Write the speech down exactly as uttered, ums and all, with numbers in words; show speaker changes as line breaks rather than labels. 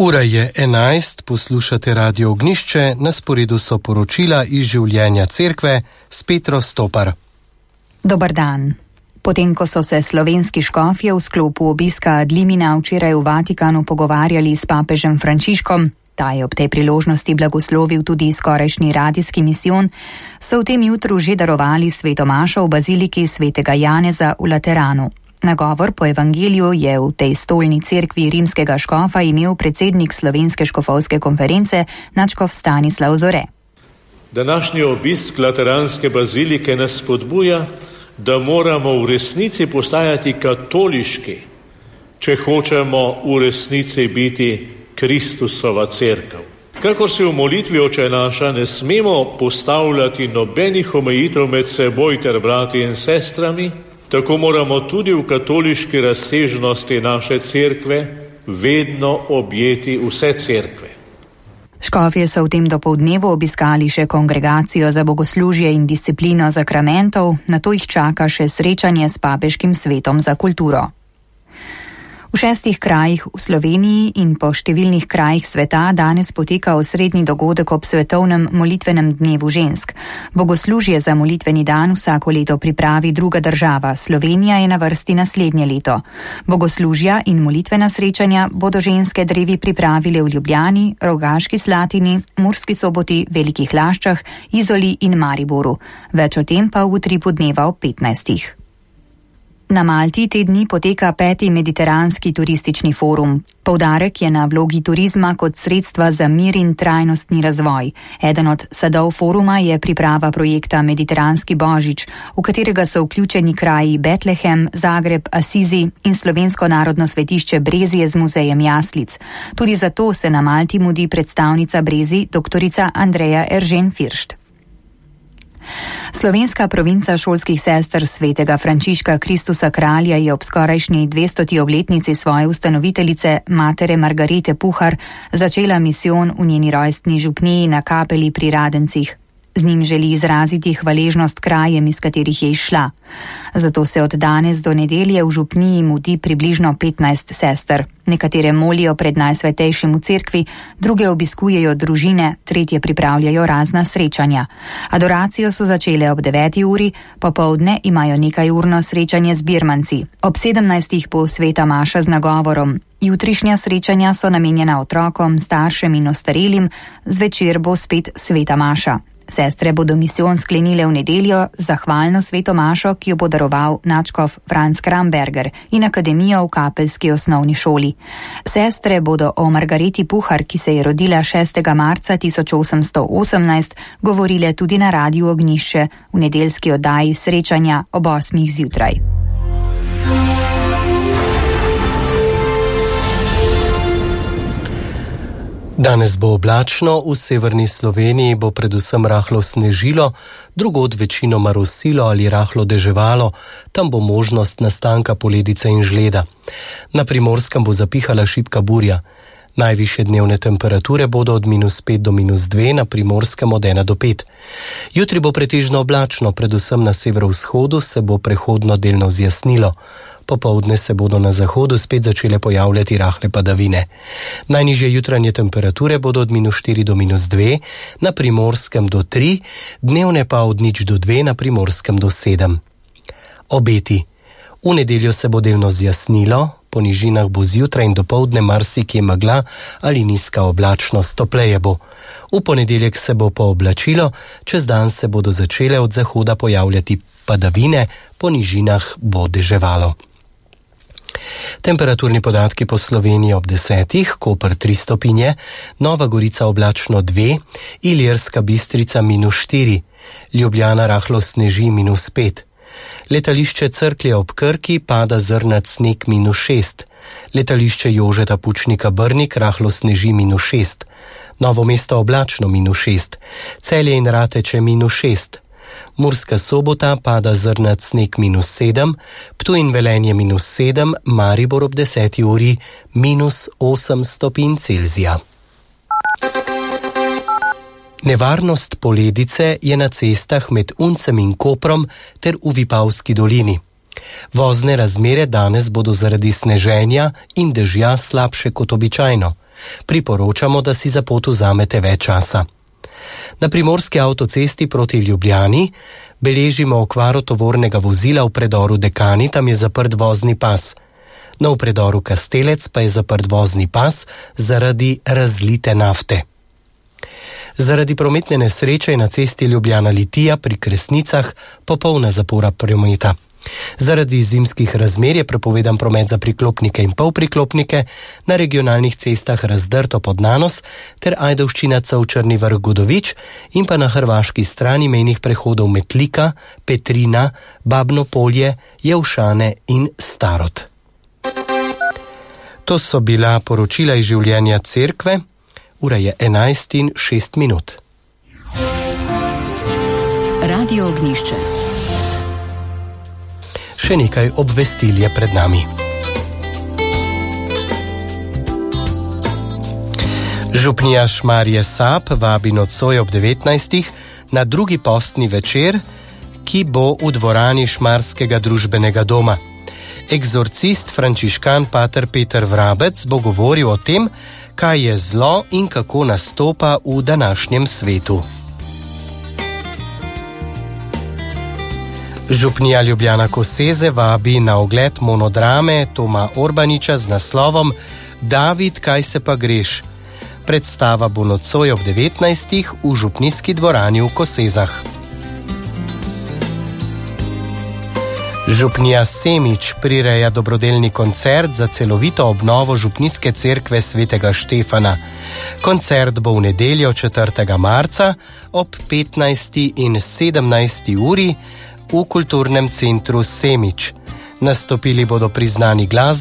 Ura je enajst, poslušate Radio Ognjišče, na sporedu so poročila iz življenja cerkve s Petro Stopar.
Dobar dan. Potem, ko so se slovenski škofje v sklopu obiska Adlimina včeraj v Vatikanu pogovarjali s papežem Frančiškom, ta je ob tej priložnosti blagoslovil tudi skorajšnji radijski misijon, so v tem jutru že darovali sveto mašo v baziliki svetega Janeza v Lateranu. Nagovor po evangeliju je v tej stolni cerkvi rimskega škofa imel predsednik Slovenske škofovske konference nadškof Stanislav Zore.
Današnji obisk Lateranske bazilike nas spodbuja, da moramo v resnici postajati katoliški, če hočemo v resnici biti Kristusova cerkev. Kakor se v molitvi Oče naša ne smemo postavljati nobenih omejitev med seboj ter brati in sestrami, tako moramo tudi v katoliški razsežnosti naše cerkve vedno objeti vse cerkve.
Škofje so v tem dopoldnevu obiskali še kongregacijo za bogoslužje in disciplino zakramentov, nato jih čaka še srečanje s papeškim svetom za kulturo. V šestih krajih v Sloveniji in po številnih krajih sveta danes poteka osrednji dogodek ob svetovnem molitvenem dnevu žensk. Bogoslužje za molitveni dan vsako leto pripravi druga država, Slovenija je na vrsti naslednje leto. Bogoslužja in molitvena srečanja bodo ženske drevi pripravile v Ljubljani, Rogaški Slatini, Murski Soboti, Velikih Laščah, Izoli in Mariboru. Več o tem pa v utripu dneva ob petnajstih. Na Malti te dni poteka peti mediteranski turistični forum. Poudarek je na vlogi turizma kot sredstva za mir in trajnostni razvoj. Eden od sadov foruma je priprava projekta Mediteranski božič, v katerega so vključeni kraji Betlehem, Zagreb, Asizi in slovensko narodno svetišče Brezje z muzejem jaslic. Tudi zato se na Malti mudi predstavnica Brezij, doktorica Andreja Eržen-Firšt. Slovenska provinca šolskih sester svetega Frančiška Kristusa Kralja je ob skorajšnji dvestoti obletnici svoje ustanoviteljice, matere Margarete Puhar, začela misijon v njeni rojstni župniji na Kapeli pri Radencih. Z njim želi izraziti hvaležnost krajem, iz katerih je izšla. Zato se od danes do nedelje v župniji mudi približno petnajst sester. Nekatere molijo pred najsvetejšim v cerkvi, druge obiskujejo družine, tretje pripravljajo razna srečanja. Adoracijo so začele ob deveti uri, popoldne imajo nekajurno srečanje z birmanci. Ob sedemnajstih bo sveta maša z nagovorom. Jutrišnja srečanja so namenjena otrokom, staršem in ostarelim, zvečer bo spet sveta maša. Sestre bodo misijon sklenile v nedeljo z zahvalno sveto mašo, ki jo bo daroval nadškof Franz Kramberger in akademijo v kapelski osnovni šoli. Sestre bodo o Margareti Puhar, ki se je rodila šestega marca tisoč osemsto osemnajst, govorile tudi na Radiu Ognjišče v nedeljski oddaji srečanja ob osmih zjutraj.
Danes bo oblačno, v severni Sloveniji bo predvsem rahlo snežilo, drugod večinoma rosilo ali rahlo deževalo, tam bo možnost nastanka poledice in žleda. Na Primorskem bo zapihala šibka burja. Najvišje dnevne temperature bodo od minus pet do minus dve, na Primorskem od ena do pet. Jutri bo pretežno oblačno, predvsem na severovzhodu se bo prehodno delno zjasnilo. Popoldne se bodo na zahodu spet začele pojavljati rahle padavine. Najnižje jutranje temperature bodo od minus štiri do minus dve, na Primorskem do tri, dnevne pa od nič do dve, na Primorskem do sedem. Obeti. V nedeljo se bo delno zjasnilo, po nižinah bo zjutraj in dopoldne marsikje megla ali nizka oblačnost, topleje bo. V ponedeljek se bo pooblačilo, čez dan se bodo začele od zahoda pojavljati padavine, po nižinah bo deževalo. Temperaturni podatki po Sloveniji ob desetih, Koper tri stopinje, Nova Gorica oblačno dve, Ilirska Bistrica minus štiri, Ljubljana rahlo sneži minus pet. Letališče Cerklje ob Krki pada zrnat sneg minus šest. Letališče Jožeta Pučnika Brnik rahlo sneži minus šest. Novo mesto oblačno minus šest. Celje in Rateče minus šest. Murska Sobota pada zrnat sneg minus sedem. Ptuj in Velenje minus sedem. Maribor ob deseti uri minus osem stopinj Celzija. Nevarnost poledice je na cestah med Uncem in Koprom ter v Vipavski dolini. Vozne razmere danes bodo zaradi sneženja in dežja slabše kot običajno. Priporočamo, da si za pot vzamete več časa. Na primorski avtocesti proti Ljubljani beležimo okvaro tovornega vozila v predoru Dekani, tam je zaprt vozni pas. Na v predoru Kastelec pa je zaprt vozni pas zaradi razlite nafte. Zaradi prometne nesreče je na cesti Ljubljana-Litija pri Kresnicah popolna zapora prometa. Zaradi zimskih razmer je prepovedan promet za priklopnike in polpriklopnike, na regionalnih cestah Razdrto pod Nanos ter Ajdovščina Črni Vrh Godovič in pa na hrvaški strani mejnih prehodov Metlika, Petrina, Babno Polje, Jevšane in Starod. To so bila poročila iz življenja cerkve. Ura je enajst in šest minut.
Radio Ognjišče.
Še nekaj obvestil je pred nami. Župnija Šmarje Sap vabi nocoj ob devetnajstih na drugi postni večer, ki bo v dvorani Šmarskega družbenega doma. Eksorcist frančiškan pater Peter Vrabec bo govoril o tem, kaj je zlo in kako nastopa v današnjem svetu. Župnija Ljubljana Koseze vabi na ogled monodrame Toma Orbaniča z naslovom David, kaj se pa greš? Predstava bo nocoj ob devetnajstih v župnijski dvorani v Kosezah. Župnija Semič prireja dobrodelni koncert za celovito obnovo župnijske cerkve svetega Štefana. Koncert bo v nedeljo četrtega marca ob petnajsti in sedemnajsti uri v kulturnem centru Semič. Nastopili bodo priznani glasbeniki